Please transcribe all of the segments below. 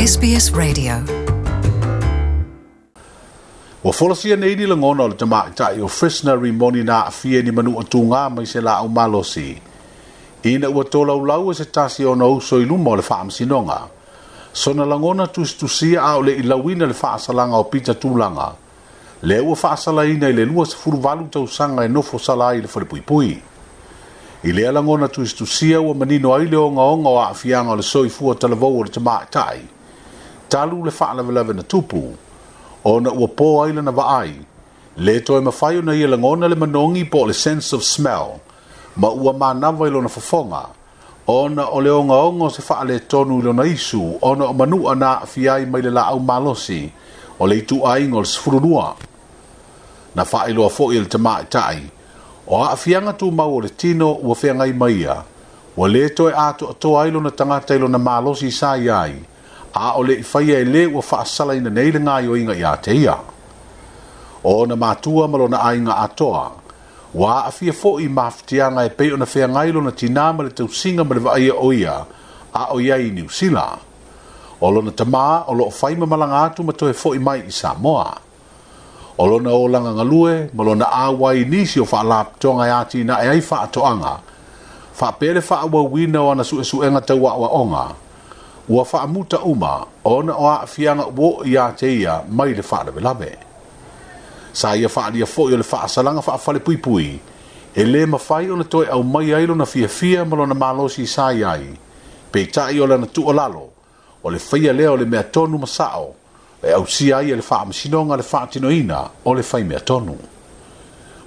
SBS Radio. Ua folasia nei ni lagona o le tamaitai o Frisner Rimoni na aafia i ni manua tugā mai se laau malosi ina ua tolaulau e se tasi o ona uso i luma o le faamasinoga. Sona lagona tusitusia a o le i lauina le faasalaga o Pita Tulaga, lea ua faasalaina i le 28 tausaga e nofo sala ai i le falepuipui. I lea lagona tusitusia ua manino ai le ogaoga o aafiaga o le soifua talavou o le tamaitai, talu le faalavelave na tupu, ona ua po ai lana vaai, le toe mafai ona ia lagona le manogi po o le sense of smell, ma ua manava i lona fofoga, ona o le ogaoga o se faaletonu i lona isu ona o manua na aafia ai mai le laau malosi o le ituaiga o le 12. Na faailoa foi e le tamaitai, o aafiaga tumau o le tino ua feagai ma ia, ua le toe atoatoa ai lona tagata i lona malosi sa i ai, a o le i faia e le ua faasalaina nei le gaoioiga ia te ia. O ona matua ma lona aiga atoa, ua aafia foi i mafatiaga e pei ona feagai lona tinā ma le tausiga ma le vaaia o ia a o i ai i Niu Sila. O lona tamā o lo o fai ma malaga atu ma toe foi mai i Samoa. O lona olaga galue ma lona auai i nisi o faalapotopotoga e atinae ai faatoaga, faapea le faaauauina o ana suesuega tau aoaoga, ua faamuta uma ona o aafiaga ua oo ia te ia mai le faalavelave. Sa ia faaalia foi o le faasalaga faafalepuipui e le mafai ona toe aumaia ai lona fiafia ma lona malosi sa i ai, peitai o lana tuualalo, o le faia lea o le mea tonu ma sao e ausia ai e le Faamasinoga le faatinoina o le faimea tonu.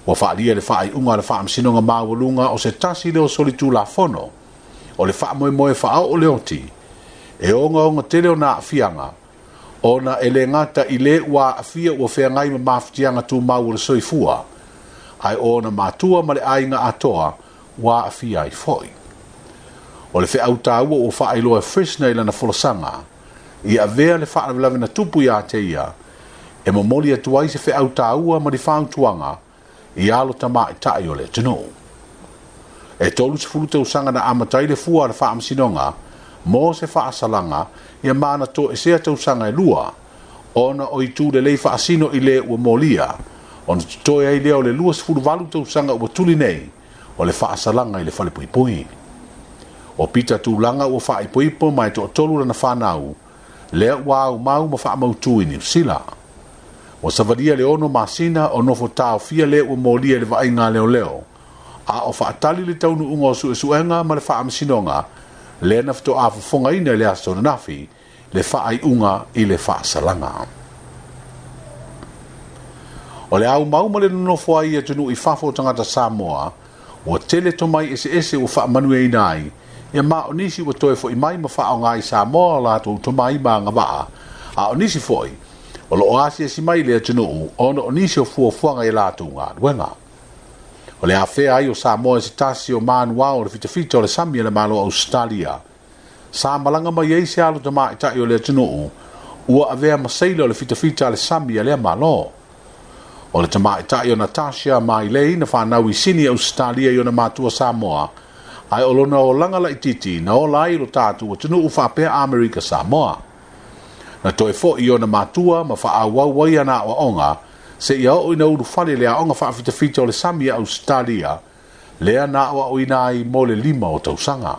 Ua faaalia le faaiuga a le Faamasinoga Maualuga o se tasi lea o solitulafono o le faamoemoe faaoo le oti e ogaoga tele ona aafiaga ona e le gata i le ua aafia ua feagai ma mafatiaga tumau o le soifua, ae o ona matua ma le aiga atoa ua aafia ai foi. O le feau taua ua faailoa e Fresner i lana folasaga, ia avea le faalavelave na tupu ia te ia, e momoli atu ai se feau taua ma ni fautuaga i alo tamaitai o le atunuu. E 30 tausaga na amata ai le fua a le Faamasinoga mo se faasalaga ia ma na toesea tausaga e lua ona o itu lelei faasino i le ua molia ona totoe ai lea o le 28 tausaga ua tuli nei o le faasalaga i le falepuipui. O Pita Tulaga ua faaipoipo ma e toatolu lana fanau lea ua aumau ma faamautu i Niu Sila. Ua savalia le 6 masina o nofo taofia le ua molia i le vaaiga a leoleo, a o faatali le taunuuga o suesuega ma le faamasinoga lea na faatoa fofogaina i le aso ananafi le faaiuga i le faasalaga. O le aumau ma le nonofo ai i atunuu i fafo o tagata Samoa, ua tele tomai eseese ua faamanuiaina ai, ia ma o nisi ua toe foi mai ma faaaoga i Samoa o latou tomai ma agavaa, a o nisi foi o lo o asiasi mai i le atunuu ona o nisi o fuafuaga i a latou galuega. O le afea ai o Samoa e se tasi o manuao o le fitafita o le sami a le Malo o Ausetalia, sa malaga mai ai se alo tamaitai o le atunuu ua avea ma seila o le fitafita a le sami a lea Malo. O le tamaitai o Natasha Mailei na fanau i Sini, Ausetalia i ona matua Samoa, ae o lona olaga laitiiti na ola ai i lo tatou atunuu faapea Amerika Samoa. Na toe foi i ona matua ma faaauau ai ana aoaoga seia oo ina ulufale i le aoga faafitafita o le sami a Ausetalia, lea na aoaoina ai mo le 5 o tausaga.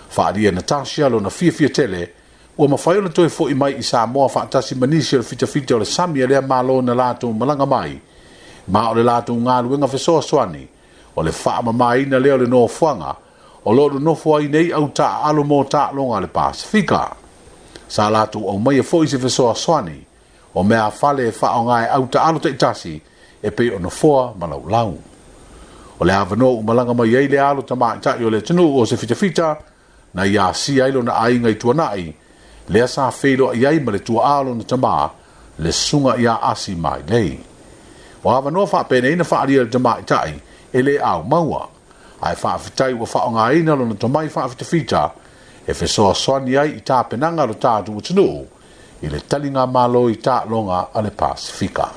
Faaalia Natasha lona fiafia tele ua mafai ona toe foi mai i Samoa faatasi ma nisi o le fitafita o le sami a lea Malo na latou malaga mai, ma o le latou galuega fesoasoani o le faamamaina lea o le nofoaga o lo o nonofo ai nei au taaalo mo taaloga a le Pasefika. Sa latou aumaia foi se fesoasoani o meafale e faaaoga e au taaalo taitasi e pei o nofoa ma laulau. O le avanoa ua malaga mai ai le alo tamaitai o le atunuu o se fitafita na ia asia ai lona aiga i Tuanai, lea sa feiloai ai ma le tuaa o lona tamā, le susuga ia Asi Mailei. O avanoa faapenei na faaalia e le tamaitai e le ao maua, ae faafetai ua faaaogaina lona tomai faafitafita e fesoasoani ai i tapenaga a lo tatou atunuu i le taligamalo i taaloga a le Pasefika.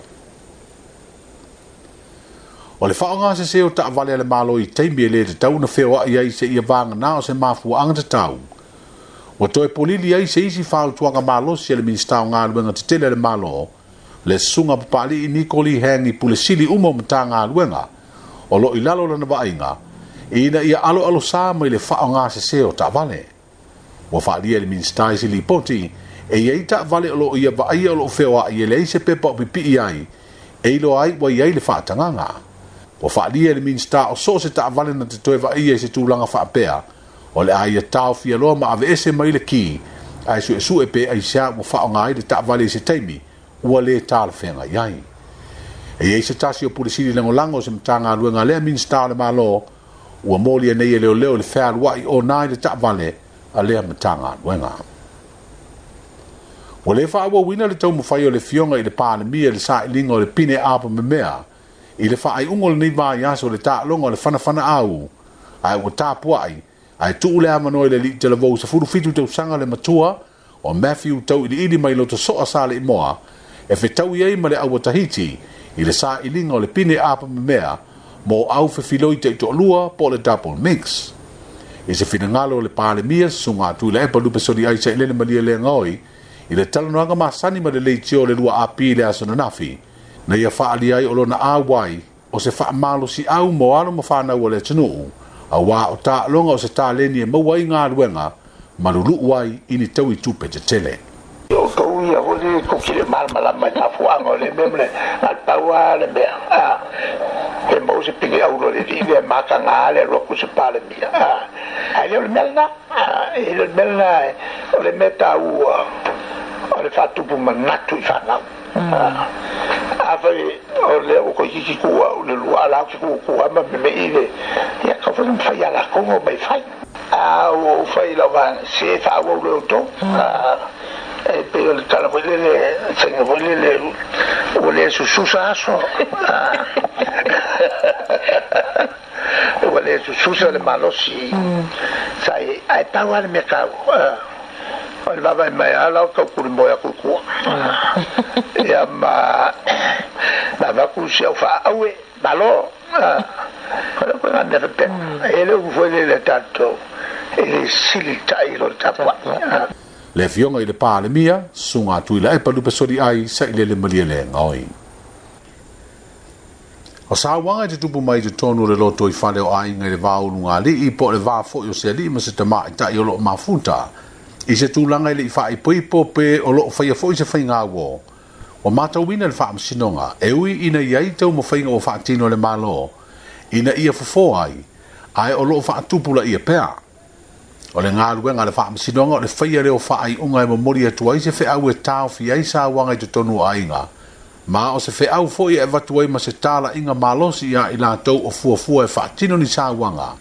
O le faaaoga sese o taavale a le Malo i taimi e le tatau ona feoai ai seia vagana o se mafuaaga tatau, Ua toe polili ai se isi fautuaga malosi a le Minisita o Galuega Tetele a le Malo, le Susuga Papalii Niko Lee Hang i Pule Sili uma o Matagaluega o lo o i lalo o lana vaaiga, ina ia aloalosā mai le faaaoga sesē o taavale. Ua faaalia e le Minisita i se lipoti, e i ai taavale o lo o ia vaaia o lo o feoai e leai se pepa o pipii ai e iloa ai ua i ai le faatagaga. Ua faaalia e le Minisita o so o se taavale na te toe vaaia i se tulaga faapea, o le a ia taofia loa ma aveese mai le ki, ae suesue pe aisea ua faaaoga ai le taavale i se taimi ua lē talafeagai ai. E i ai se tasi o Pule Sili Lagolago o se Matagaluega a lea Minisita o le Malo ua molia nei e leoleo i le fealuai ona i le taavale a lea Matagaluega. Ua lē faaauauina le taumafai o le Afioga i le Palemia i le sailiga o le pine apamemea i le faaiuga o lenei vaiaso i le taaloga o le fanafanaau, ae ua tapuai ae tuu le avanoa i le alii talavou 17 tausaga le matua o Matthew Tauiliili mai Lotosoa Saleimoa e fetaui ai ma le au a Tahiti i le sailiga o le pine apamemea mo au fefiloi taitoalua po o le double mix. I se finagalo o le Palemia, Susuga Tuilaepa Lupe Soliai Sailele Malielegaoi, i le talanoaga masani ma le leitio o le 2AP i le aso ananafi, na ia faaalia ai o lona auai o se faamalosiau mo alo ma fanau o le atunuu, auā o taaloga o se taleni e maua ai galuega ma luluu ai i ni taui tupe tetele. O outou ia foi lele tou te le malamalama i mafuaaga o lea mea ma le na o le pau lava le mea a pe maua se pine auro a le alii lea e mataga lava le alu atu o se Palemia a ae le o le mea lena a e le o le mea lena o le mea taua o le faatupu manatu i fanau a afai o lea ua toeitiiti tuu au i le lua a la ou te tuu atu lava ma memei le ia tatau foi ona mafai ia latou ona omai e fai. A ua ou fai i lau vaega, se faaauau loa e outou. E pei o le tala foi lele, faiga foi lele, ua le sususa aso. Ua le sususa le malosi. Sa i ai, ae pau lava le mea taua, o le vaavaai mai lava la o tau tulimoe atu i tua. Ia ma avatu si au faaaue, malo. O le uiga mea faapena. E le upu foi lele a tatou, e le sili tai i lo le tapuai. Le Afioga i le Palemia, Susuga Tuilaepa Lupesoliai Sailele Malielegaoi. O sauaga e tutupu mai i totonu o le lotoifale o aiga i le va o ulugalii po o le va foi o se alii ma se tamaitai o lo o mafuta i se tulaga e le i faaipoipo pe o lo o faia foi se faigauo. Ua matauina le Faamasinoga e ui ina i ai taumafaiga ua faatino e le Malo ina ia fofo ai, ae o lo o faatupulaia pea. O le galuega a le Faamasinoga o le faia lea o faaiuga e momoli atu ai se feau e taofi ai sauaga i totonu o aiga, ma o se feau foi e avatu ai ma se talaiga malosi iā i latou o fuafua e faatino ni sauaga.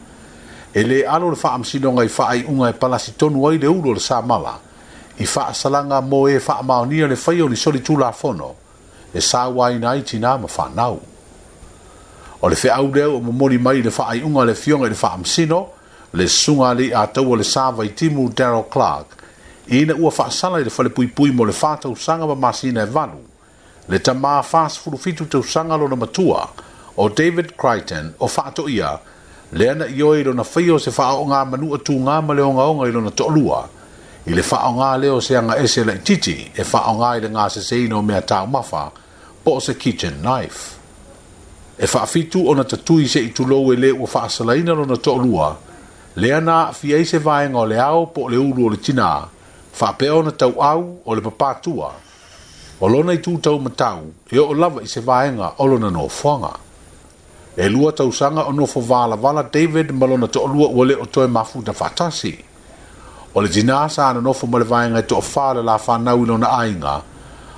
E lē alo le Faamasinoga i faaiuga e palasi tonu ai le ulu o le samala i faasalaga mo e faamaonia le faia o ni solitulafono e sauaina ai tinā ma fanau. O le feau lea ua momoli mai i le faaiuga a le Afioga i le Faamasino, le Susuga Alii-a-Taua Lesa Vaitimu Darrell Clarke, ina ua faasala i le falepuipui mo le fa tausaga ma masina e valu, le tamā 47 tausaga lona matua, o David Crichton o Faatoia, lea na ioe i lona faia o se faaoogamanu tugā ma le ogaoga i lona toalua, i le faaaoga lea o se agaese laitiiti e faaaoga i le gaseseina o mea taumafa po o se kitchen knife. E faafitu ona tatui se'i tulou e le ua faasalaina lona toalua, lea na aafia ai se vaega o le ao po o le ulu o le tinā, faapea ona tauau o le papatua o lona itu taumatau e oo lava i se vaega o lona nofoaga. E 2 tausaga o nofo valavala David ma lona toalua ua le o toe mafuta faatasi. O le tinā sa nonofo ma le vaega e toafa o le la fanau i lona aiga,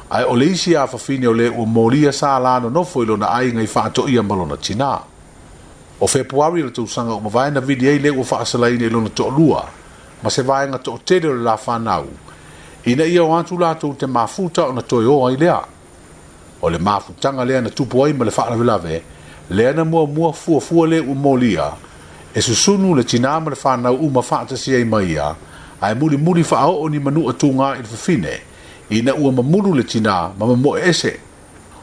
ae o le isi afafine o le ua molia sa la nonofo i lona aiga i Faatoia ma lona tinā. O Fepuari o le tausaga ua mavae na vili ai le ua faasalaina i lona toalua ma se vaega toatele o le la fanau, ina ia o atu latou te mafuta ona toe o ai lea. O le mafutaga lea na tupu ai ma le faalavelave, lea na muamua fuafua le ua molia, e susunu le tinā ma le fanau uma faatasi ai ma ia, ae mulimuli faaoo ni manua tugā i le fafine, ina ua mamulu le tinā ma mamoe ese.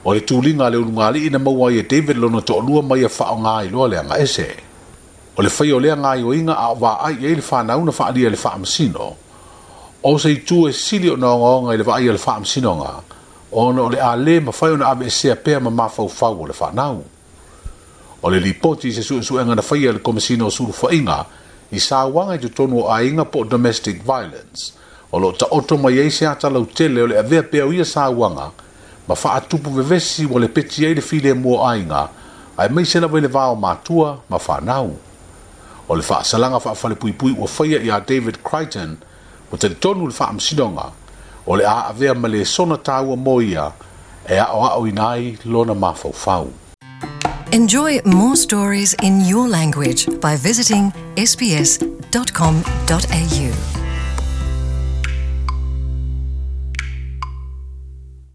O le tuliga a le ulugalii na maua ai e David lona toalua ma ia faaaoga ai loa le agaese. O le faia o lea gaoioiga a o vaai i ai le fanau na faaalia e le Faamasino. O se itu e sili ona ogaoga i le vaai a le Faamasinoga, ona o le a le mafai ona aveesea pea ma mafaufau o le fanau. O le lipoti i se suesuega na faia e le Komesina o Sulufaiga i Sauaga i totonu o aiga po o domestic violence, o lo o taoto mai ai se ata lautele o le avea pea o ia sauaga ma faatupu vevesi ua lepeti ai le filemu o aiga, aemaise lava i le va o matua ma fanau. O le faasalaga faafalepuipui ua faia ia David Crichton, ua talitonu le Faamasinoga o le a avea ma lesona taua mo ia e aoaoina ai lona mafaufau. Enjoy more stories in your language by visiting sbs.com.au.